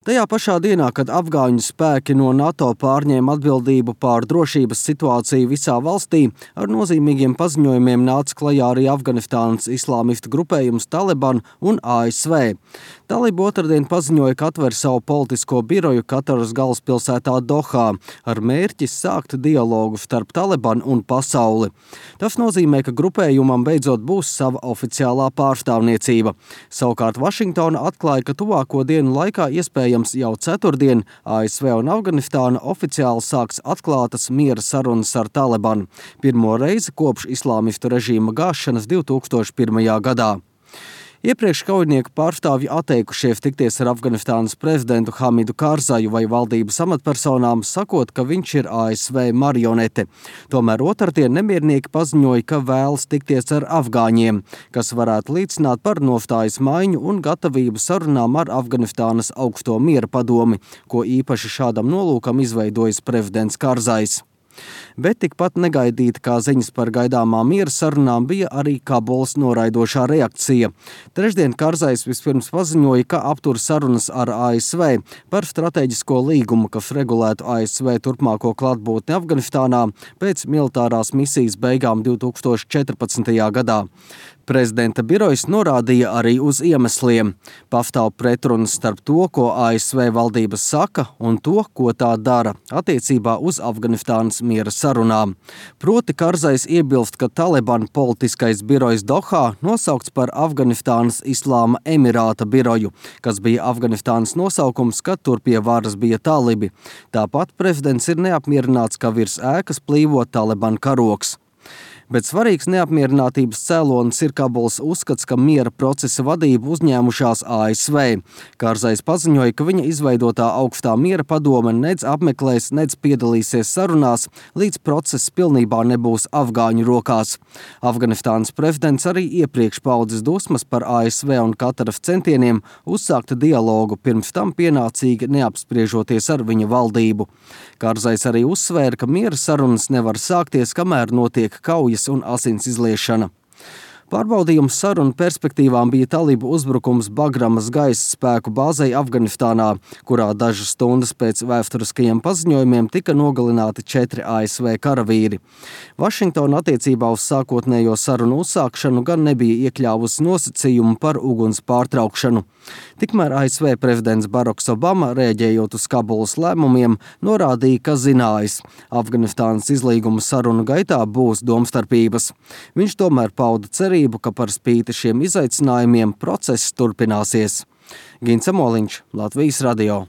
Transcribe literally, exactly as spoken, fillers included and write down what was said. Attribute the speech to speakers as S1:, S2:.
S1: Tajā pašā dienā, kad afgāņu spēki no NATO pārņēma atbildību pār drošības situāciju visā valstī, ar nozīmīgiem paziņojumiem nāca klajā arī Afganistānas islāmistu grupējums Taliban un A S V. Talib otrdien paziņoja, ka atver savu politisko biroju Kataras galvaspilsētā Dohā ar mērķi sākt dialogu starp Taliban un pasauli. Tas nozīmē, ka grupējumam beidzot būs sava oficiālā pārstāvniecība. Savukārt Vašingtona atklāja, ka tuvāko dienu laikā iespējams jau ceturtdien A S V un Afganistāna oficiāli sāks atklātas miera sarunas ar Taliban. Pirmo reizi kopš islāmistu režīma gāšanas divi tūkstoši pirmajā gadā. Iepriekš kaujinieku pārstāvji atteikušies tikties ar Afganistānas prezidentu Hamidu Kārzaju vai valdības amatpersonām, sakot, ka viņš ir A S V marionete. Tomēr otrdien nemiernieki paziņoja, ka vēlas tikties ar afgāņiem, kas varētu liecināt par nostājas maiņu un gatavību sarunām ar Afganistānas augsto miera padomi, ko īpaši šādam nolūkam izveidojis prezidents Kārzajs. Bet tikpat negaidīta kā ziņas par gaidāmām miera sarunām bija arī Kabulas noraidošā reakcija. Trešdien Kārzajs vispirms paziņoja, ka aptur sarunas ar A S V par strateģisko līgumu, kas regulētu A S V turpmāko klātbūtni Afganistānā pēc militārās misijas beigām divi tūkstoši četrpadsmitajā gadā. Prezidenta birojs norādīja arī uz iemesliem. Pastāv pretrunas starp to, ko A S V valdības saka, un to, ko tā dara attiecībā uz Afganistānas miera sarunām. Proti Kārzajs iebilst, ka Taliban politiskais birojs Dohā nosaukts par Afganistānas Islāma Emirāta biroju, kas bija Afganistānas nosaukums, kad tur pie varas bija talibi. Tāpat prezidents ir neapmierināts, ka virs ēkas plīvo Taliban karogs. Bet svarīgs neapmierinātības cēlonis ir Kabulas uzskats, ka miera procesa vadību uzņēmušās A S V. Kārzajs paziņoja, ka viņa izveidotā augstā miera padome nedz apmeklēs, nedz piedalīsies sarunās, līdz process pilnībā nebūs afgāņu rokās. Afganistānas prezidents arī iepriekš paudzis dusmas par A S V un Kataras centieniem uzsākt dialogu, pirms tam pienācīgi neapspriežoties ar viņa valdību. Kārzajs arī uzsvēra, ka miera sarunas nevar sākties, kamēr notiek kaujas un asins izliešana. Pārbaudījums sarunu perspektīvām bija talibu uzbrukums Bagramas gaisa spēku bāzei Afganistānā, kurā dažas stundas pēc vēsturiskajiem paziņojumiem tika nogalināti četri A S V karavīri. Vašingtona attiecībā uz sākotnējo sarunu uzsākšanu gan nebija iekļāvusi nosacījumu par uguns pārtraukšanu. Tikmēr A S V prezidents Baraks Obama, rēģējot uz Kabulas lēmumiem, norādīja, ka zinājis, Afganistānas izlīguma sarunu gaitā būs domstarpības. Viņš tomēr pauda cerību, ka par spīti šiem izaicinājumiem process turpināsies. Gins Amoliņš, Latvijas radio.